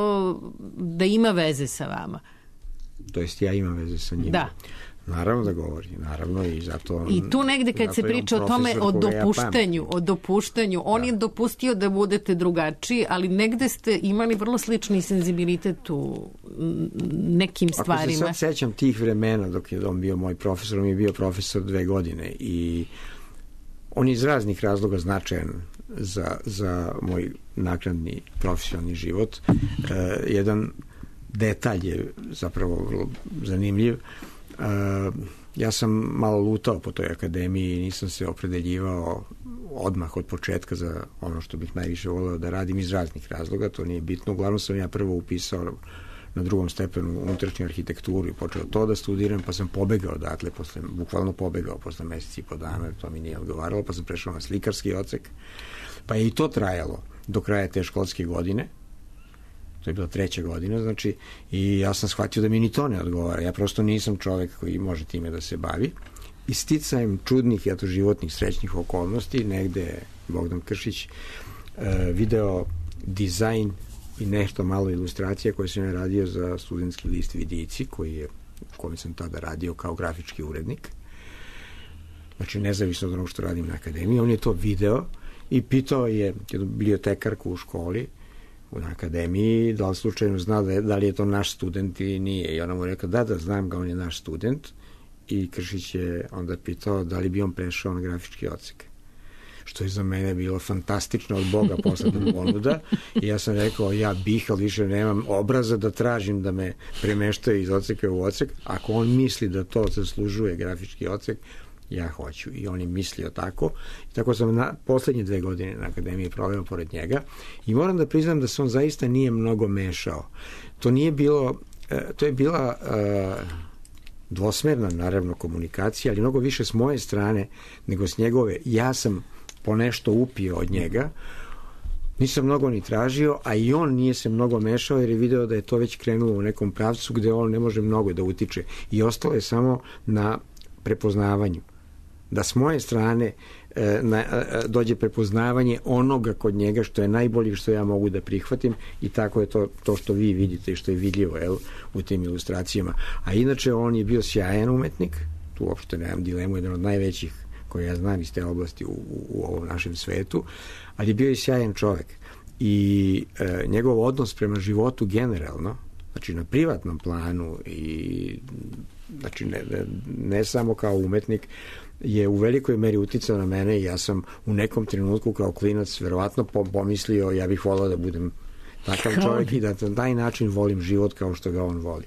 da ima veze sa vama. To jest ja imam veze sa njim. Da. Naravno da govori, naravno i zato... I tu negde kad se priča o tome, o dopuštanju, on je dopustio da budete drugačiji, ali negde ste imali vrlo slični senzibilitet u nekim stvarima. Ako se sad sećam tih vremena dok je on bio moj profesor, on je bio profesor 2 godine i on je iz raznih razloga značajan za moj naknadni profesionalni život. Jedan detalj je zapravo vrlo zanimljiv. Ja sam malo lutao po toj akademiji i nisam se opredeljivao odmah od početka za ono što bih najviše voleo da radim iz raznih razloga, to nije bitno. Uglavnom sam ja prvo upisao na 2. stepenu unutrašnju arhitekturu i počeo to da studiram, pa sam pobegao odatle, bukvalno pobegao posle meseci i po dana, to mi nije odgovaralo, pa sam prešao na slikarski odsek, pa je i to trajalo do kraja te školske godine. To je bila 3. godina, znači, i ja sam shvatio da mi ni to ne odgovara. Ja prosto nisam čovek koji može time da se bavi. I sticajem čudnih, životnih, srećnih okolnosti, negde je Bogdan Kršić video dizajn i nešto malo ilustracija koje sam ja radio za studentski list Vidici, u kojem sam tada radio kao grafički urednik. Znači, nezavisno od onog što radim na akademiji. On je to video i pitao je bibliotekarku u školi, na akademiji, da li slučajno zna da li je to naš student ili nije. I ona mu je rekla, da, znam ga, on je naš student. I Kršić je onda pitao da li bi on prešao na grafički odsek. Što je za mene bilo fantastično od Boga posledna ponuda. I ja sam rekao, ja bih, ali više nemam obraza da tražim da me premeštaju iz odseka u odsek. Ako on misli da to zaslužuje grafički odsek, ja hoću. I on je mislio tako. I tako sam poslednje 2 godine na akademiji proveo pored njega. I moram da priznam da se on zaista nije mnogo mešao. To nije bilo, to je bila dvosmerna, naravno, komunikacija, ali mnogo više s moje strane nego s njegove. Ja sam ponešto upio od njega, nisam mnogo ni tražio, a i on nije se mnogo mešao jer je video da je to već krenulo u nekom pravcu gde on ne može mnogo da utiče. I ostalo je samo na prepoznavanju. Da s moje strane dođe prepoznavanje onoga kod njega što je najbolje što ja mogu da prihvatim i tako je to što vi vidite i što je vidljivo u tim ilustracijama. A inače on je bio sjajan umetnik, tu uopšte nemam dilemu, jedan od najvećih koje ja znam iz te oblasti u ovom našem svetu, ali je bio i sjajan čovek. I njegov odnos prema životu generalno, znači na privatnom planu i znači ne samo kao umetnik, je u velikoj meri uticao na mene i ja sam u nekom trenutku kao klinac verovatno pomislio ja bih volao da budem takav čovjek i da na taj način volim život kao što ga on voli.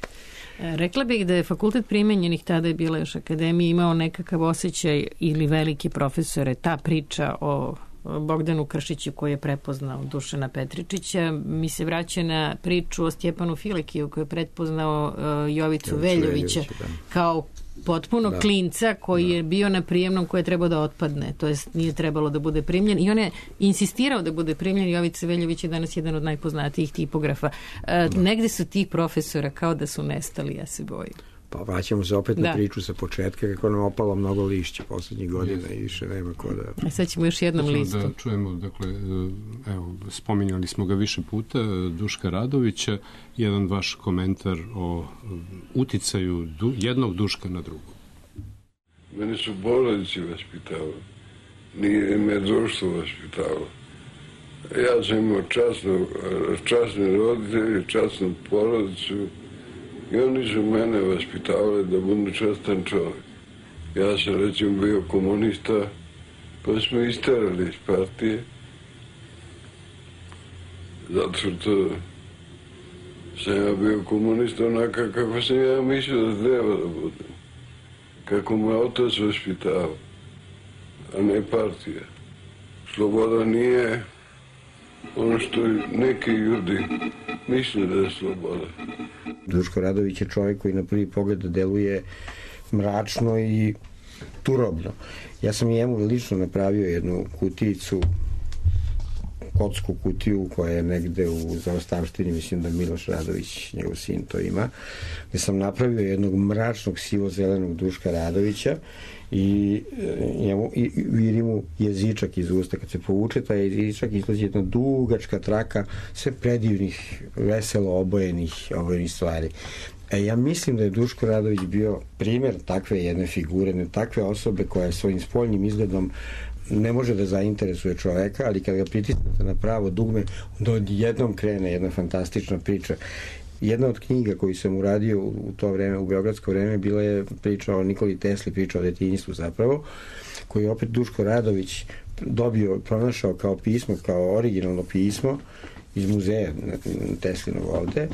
Rekla bih da je fakultet primenjenih, tada je bila još akademija, imao nekakav osjećaj ili veliki profesore, ta priča o Bogdanu Kršiću koji je prepoznao Dušana Petričića, mi se vraća na priču o Stjepanu Filekiju koji je prepoznao Jovicu Veljovića kao potpuno klinca koji je bio na prijemnom koji je trebao da otpadne, to jest nije trebalo da bude primljen i on je insistirao da bude primljen. Jovica Veljović je danas jedan od najpoznatijih tipografa. Negde su tih profesora kao da su nestali, ja se bojim. Pa vraćamo se opet na priču sa početka kako nam opalo mnogo lišća poslednjih godina i više nema ko da... Sad ćemo još jednom listu. Da čujemo, dakle, evo, spominjali smo ga više puta, Duška Radovića, jedan vaš komentar o uticaju jednog Duška na drugog. Mene su porodici vaspitavali, nije me društvo vaspitavalo. Ja sam imao časne roditelje, časnu porodicu I oni su mene vaspitavali da budem častan čovjek. Ja sam recimo bio komunista, pa smo isterali iz partije, zato što sam ja bio komunista onaka kako sam ja mislio da treba da budem. Kako me otac vaspitao, a ne partija. Sloboda nije ono što neki ljudi misle da je sloboda. Duško Radović je čovjek koji na prvi pogled deluje mračno i turobno. Ja sam njemu lično napravio jednu kutijicu, kotsku kutiju koja je negde u zaostavštini, mislim da Miloš Radović, njegov sin, to ima, gde sam napravio jednog mračnog sivo-zelenog Duška Radovića i viri mu jezičak iz usta. Kad se povuče taj jezičak, izlazi jedna dugačka traka sve predivnih, veselo obojenih stvari. Ja mislim da je Duško Radović bio primjer takve jedne figure, takve osobe koja je svojim spoljnim izgledom ne može da zainteresuje čoveka, ali kad ga pritisnete na pravo dugme, onda odjednom krene jedna fantastična priča. Jedna od knjiga koju sam uradio u to vreme, u beogradsko vreme, bila je priča o Nikoli Tesli, priča o detinjstvu zapravo, koju je opet Duško Radović pronašao kao pismo, kao originalno pismo iz muzeja Teslinog ovde,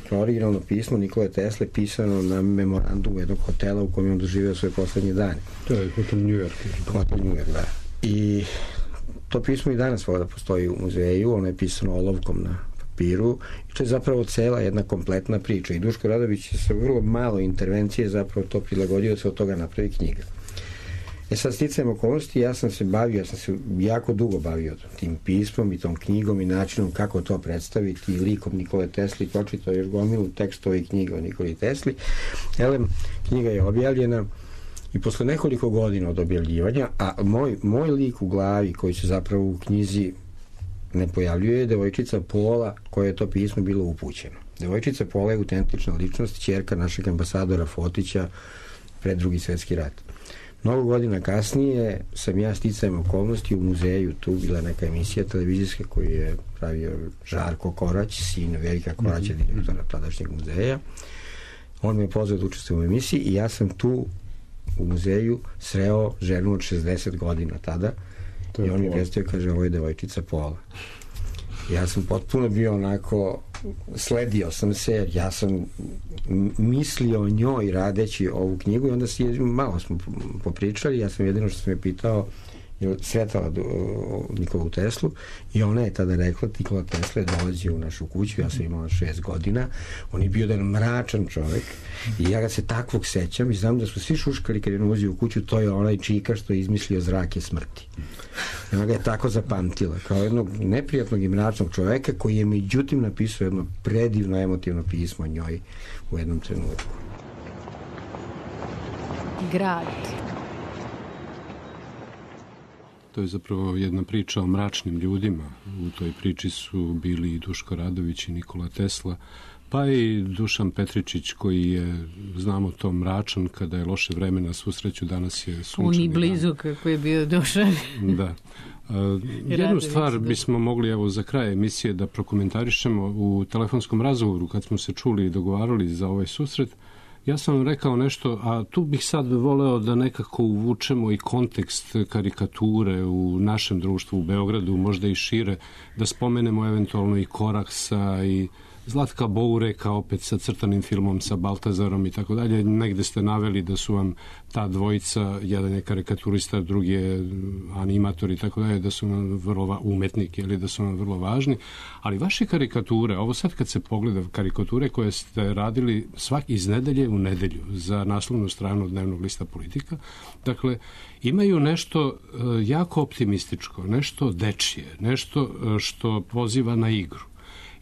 kao originalno pismo Nikole Tesle pisano na memorandumu jednog hotela u kojem je on doživio svoje poslednje dane. To je hotel New York. Hotel New York, da. I to pismo i danas voda postoji u muzeju, ono je pisano olovkom na papiru i to je zapravo cela jedna kompletna priča i Duško Radović je sa vrlo malo intervencije zapravo to prilagodio da se od toga napravi knjiga. Sad sticajem okolnosti, ja sam se jako dugo bavio tim pismom i tom knjigom i načinom kako to predstaviti i likom Nikole Tesli, pročitao još gomilu tekstova i knjiga o Nikoli Tesli. Knjiga je objavljena i posle nekoliko godina od objavljivanja, a moj lik u glavi koji se zapravo u knjizi ne pojavljuje je devojčica Pola koja je to pismo bilo upućeno. Devojčica Pola je autentična ličnost, ćerka našeg ambasadora Fotića pred Drugi svjetski rat. Mnogo godina kasnije sam ja sticajem okolnosti u muzeju, tu bila neka emisija televizijska koju je pravio Žarko Korać, sin Velika Koraća, direktora tadašnjeg muzeja. On me je pozvao da učestvujem u emisiji i ja sam tu u muzeju sreo ženu od 60 godina tada i on mi je predstavio, kaže, ovo je devojčica Pola. Ja sam potpuno bio onako, sledio sam se, jer ja sam mislio o njoj radeći ovu knjigu i onda malo smo popričali, ja sam jedino što sam je pitao je sretala Nikolu Teslu i ona je tada rekla, Nikola Tesla je dolazio u našu kuću, ja sam imala 6 godina, on je bio jedan mračan čovek i ja ga se takvog sećam i znam da su svi šuškali kad je ulazio u kuću, to je onaj čika što je izmislio zrake smrti. I ona ga je tako zapamtila, kao jednog neprijatnog i mračnog čoveka koji je međutim napisao jedno predivno emotivno pismo o njoj u jednom trenutku. Grad. To je zapravo jedna priča o mračnim ljudima. U toj priči su bili i Duško Radović i Nikola Tesla, pa i Dušan Petričić koji je, znamo to, mračan kada je loše vreme, na svu sreću danas je sunčani dan. Blizu kako je bio Dušan. Da. Jednu stvar bismo mogli evo za kraj emisije da prokomentarišemo u telefonskom razgovoru kad smo se čuli i dogovarali za ovaj susret. Ja sam vam rekao nešto, a tu bih sad voleo da nekako uvučemo i kontekst karikature u našem društvu u Beogradu, možda i šire, da spomenemo eventualno i Koraksa i Zlatka Boureka opet sa crtanim filmom sa Baltazarom i tako dalje. Negde ste naveli da su vam ta dvojica, jedan je karikaturista, drugi je animator i tako dalje, da su vam vrlo umetnik ili da su vam vrlo važni. Ali vaše karikature, ovo sad kad se pogleda karikature koje ste radili iz nedelje u nedelju za naslovnu stranu dnevnog lista Politika, dakle, imaju nešto jako optimističko, nešto dečije, nešto što poziva na igru.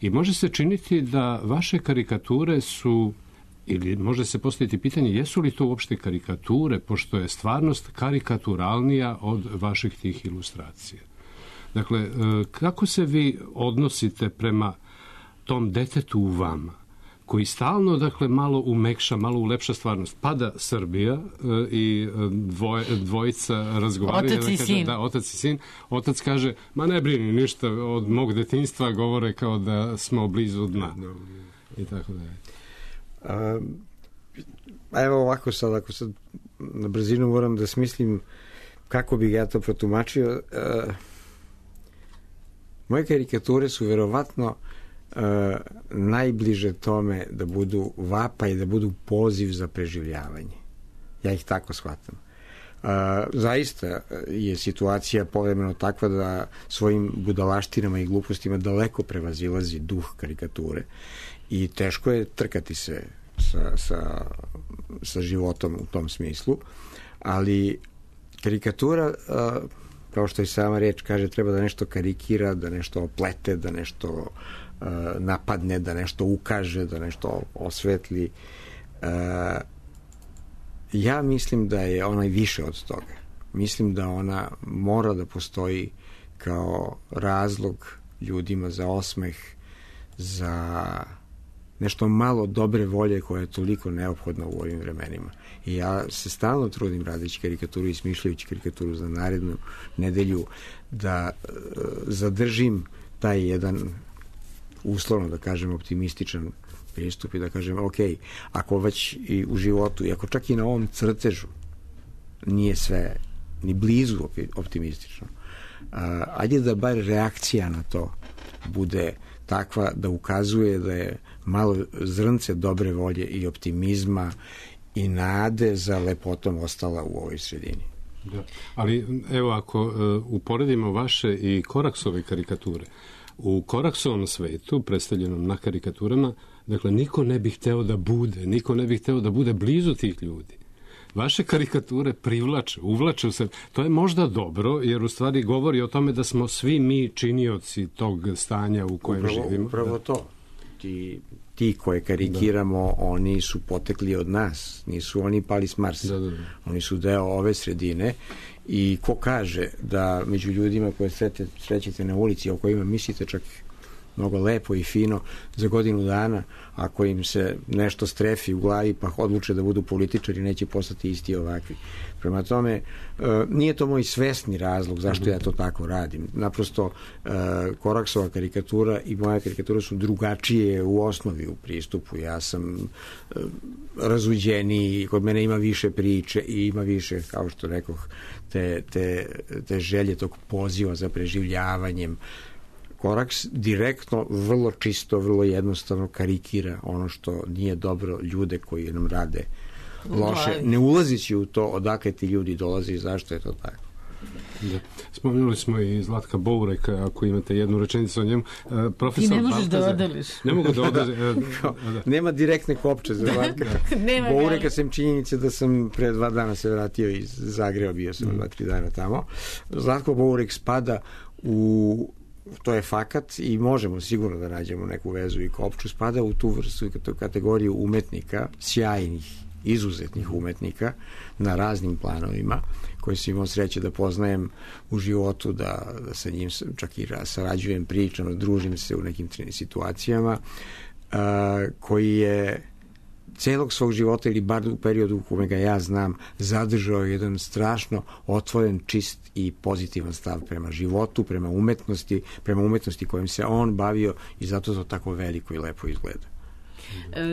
I može se činiti da vaše karikature su, ili može se postaviti pitanje, jesu li to uopšte karikature, pošto je stvarnost karikaturalnija od vaših tih ilustracija. Dakle, kako se vi odnosite prema tom detetu u vama, koji stalno, dakle, malo umekša, malo ulepša stvarnost. Pada Srbija i dvojica razgovaraju. Otac i sin. Da, otac i sin. Otac kaže, ma ne brini ništa od mog detinjstva, govore kao da smo blizu dna. I tako da je. Evo ovako sad, ako sad na brzinu moram da smislim kako bih ja to protumačio. Moje karikature su verovatno najbliže tome da budu vapaj, da budu poziv za preživljavanje. Ja ih tako shvatam. Zaista je situacija povremeno takva da svojim budalaštinama i glupostima daleko prevazilazi duh karikature i teško je trkati se sa životom u tom smislu, ali karikatura, kao što i sama reč kaže, treba da nešto karikira, da nešto oplete, da nešto napadne, da nešto ukaže, da nešto osvetli. Ja mislim da je ona i više od toga. Mislim da ona mora da postoji kao razlog ljudima za osmeh, za nešto malo dobre volje koja je toliko neophodna u ovim vremenima. I ja se stalno trudim radeći karikaturu i smišljajući karikaturu za narednu nedelju da zadržim taj jedan, uslovno da kažem, optimističan pristup i da kažem, ok, ako već i u životu, i ako čak i na ovom crtežu nije sve ni blizu optimistično, ajde da bar reakcija na to bude takva da ukazuje da je malo zrnce dobre volje i optimizma i nade za lepotom ostala u ovoj sredini. Da. Ali evo, ako uporedimo vaše i Koraksove karikature, u Koraksovom svetu, predstavljenom na karikaturama, dakle, niko ne bi hteo da bude blizu tih ljudi. Vaše karikature uvlače se. To je možda dobro, jer u stvari govori o tome da smo svi mi činioci tog stanja u kojem živimo. Upravo to. Ti koje karikiramo, oni su potekli od nas. Nisu oni pali s Marsa. Da. Oni su deo ove sredine i ko kaže da među ljudima koje srećete na ulici, o kojima mislite čak mnogo lepo i fino, za godinu dana, ako im se nešto strefi u glavi pa odluče da budu političari, neće postati isti ovakvi. Prema tome, nije to moj svesni razlog zašto ja to tako radim. Naprosto, Koraksova karikatura i moja karikatura su drugačije u osnovi u pristupu. Ja sam razuđeniji, kod mene ima više priče i ima više, kao što rekoh, te želje tog poziva za preživljavanjem. Koraks direktno, vrlo čisto, vrlo jednostavno karikira ono što nije dobro, ljude koji nam rade loše, ne ulazići u to odakle ti ljudi dolaze i zašto je to tako. Da. Spomenuli smo i Zlatka Boureka, ako imate jednu rečenicu o njemu. Ti ne možeš da odeliš. Ne mogu da odeliš. Nema direktne kopče za Zlatka Boureka, sem činjenice da sam pre 2 dana se vratio iz Zagreba, bio sam 2-3 dana tamo. Zlatko Bourek spada u, to je fakat i možemo sigurno da nađemo neku vezu i kopču, spada u tu vrstu kategoriju umetnika, sjajnih, izuzetnih umetnika na raznim planovima, koji sam imao sreće da poznajem u životu, da sa njim čak i sarađujem, pričam, družim se u nekim situacijama, koji je celog svog života, ili bar u periodu u kome ga ja znam, zadržao jedan strašno otvoren, čist i pozitivan stav prema životu, prema umetnosti kojim se on bavio i zato to tako veliko i lepo izgleda.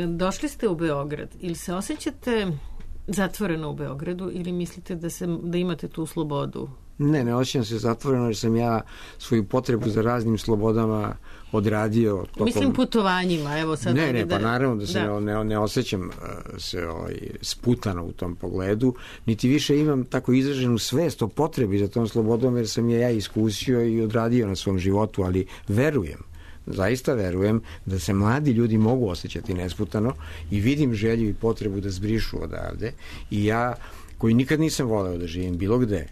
Došli ste u Beograd, ili se osjećate zatvoreno u Beogradu ili mislite da imate tu slobodu? Ne osjećam se zatvoreno jer sam ja svoju potrebu za raznim slobodama odradio. Mislim putovanjima, evo sad. Pa naravno da se ne osjećam se sputano u tom pogledu, niti više imam tako izraženu svest o potrebi za tom slobodom jer sam je ja iskusio i odradio na svom životu, ali zaista verujem da se mladi ljudi mogu osjećati nesputano i vidim želju i potrebu da zbrišu odavde i ja, koji nikad nisam voleo da živim bilo gde,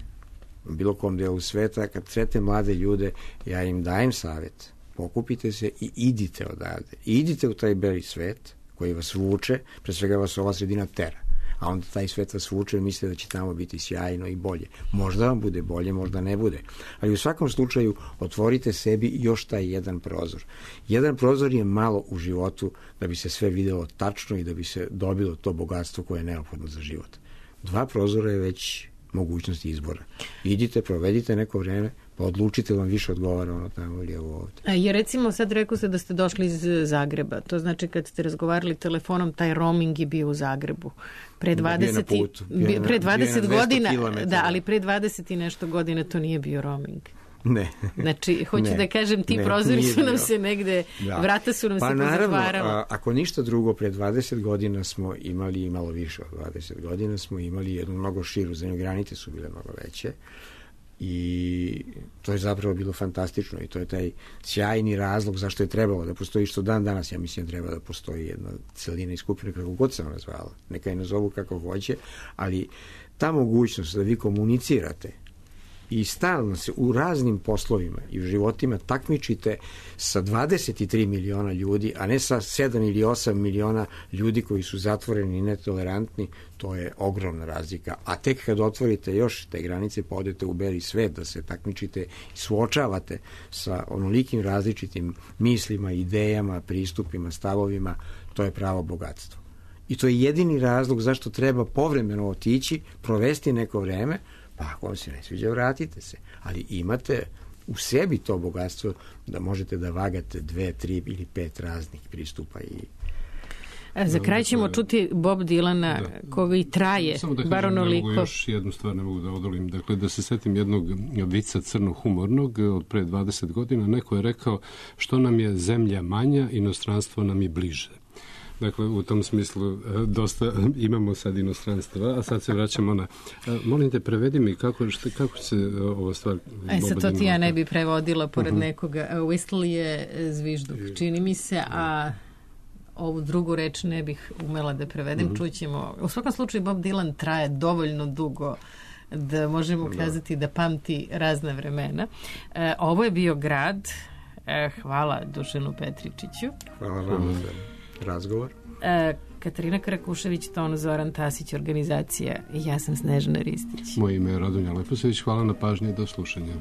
u bilo kom delu sveta, kad sretnem mlade ljude, ja im dajem savjet, pokupite se i idite odavde. Idite u taj beli svet koji vas vuče, pre svega vas ova sredina tera, a onda taj svet vas vuče i mislite da će tamo biti sjajno i bolje. Možda vam bude bolje, možda ne bude. Ali u svakom slučaju otvorite sebi još taj jedan prozor. Jedan prozor je malo u životu da bi se sve videlo tačno i da bi se dobilo to bogatstvo koje je neophodno za život. 2 prozora je već mogućnosti izbora. Idite, provedite neko vreme, pa odlučite vam više odgovara ono tamo ili ovo ovde. Jer recimo sad rekao se da ste došli iz Zagreba. To znači kad ste razgovarali telefonom, taj roaming je bio u Zagrebu. Pre 20 godina, da, ali pre 20 i nešto godina to nije bio roaming. Ne. Znači, hoću da kažem, ti prozori su nam se negde, vrata su nam se pozatvarala. Naravno, ako ništa drugo, pre 20 godina smo imali, i malo više od 20 godina, smo imali jednu mnogo širu zemlju, granice su bile mnogo veće i to je zapravo bilo fantastično i to je taj sjajni razlog zašto je trebalo da postoji, što dan danas ja mislim da treba da postoji jedna celina i skupina kako god se ona zvala, neka je nazovu kako hoće, ali ta mogućnost da vi komunicirate i stalno se u raznim poslovima i u životima takmičite sa 23 miliona ljudi, a ne sa 7 ili 8 miliona ljudi koji su zatvoreni i netolerantni, to je ogromna razlika. A tek kad otvorite još te granice, pa odete u beli svet da se takmičite i suočavate sa onolikim različitim mislima, idejama, pristupima, stavovima, to je pravo bogatstvo. I to je jedini razlog zašto treba povremeno otići, provesti neko vreme, pa ako vam se ne sviđa, vratite se. Ali imate u sebi to bogatstvo da možete da vagate 2, 3 ili 5 raznih pristupa. Za kraj ćemo čuti Bob Dylana koji traje, bar onoliko. Još jednu stvar ne mogu da odolim. Dakle, da se setim jednog vica crno-humornog od pre 20 godina. Neko je rekao što nam je zemlja manja, inostranstvo nam je bliže. Dakle, u tom smislu dosta imamo sad inostranstva, a sad se vraćamo na... Molim te, prevedi mi kako se ova stvar... Sad to ti ja ne bi prevodila pored nekoga. Whistle je zvižduk, čini mi se, a ovu drugu reč ne bih umela da prevedem. Čućemo. U svakom slučaju Bob Dylan traje dovoljno dugo da možemo kazati da pamti razne vremena. Ovo je bio Grad. Hvala Dušanu Petričiću. Hvala vam za razgovor. Katarina Karakušević, ton Zoran Tasić, organizacija. Ja sam Snežana Ristić. Moje ime je Radonja Leposević. Hvala na pažnji i do slušanja.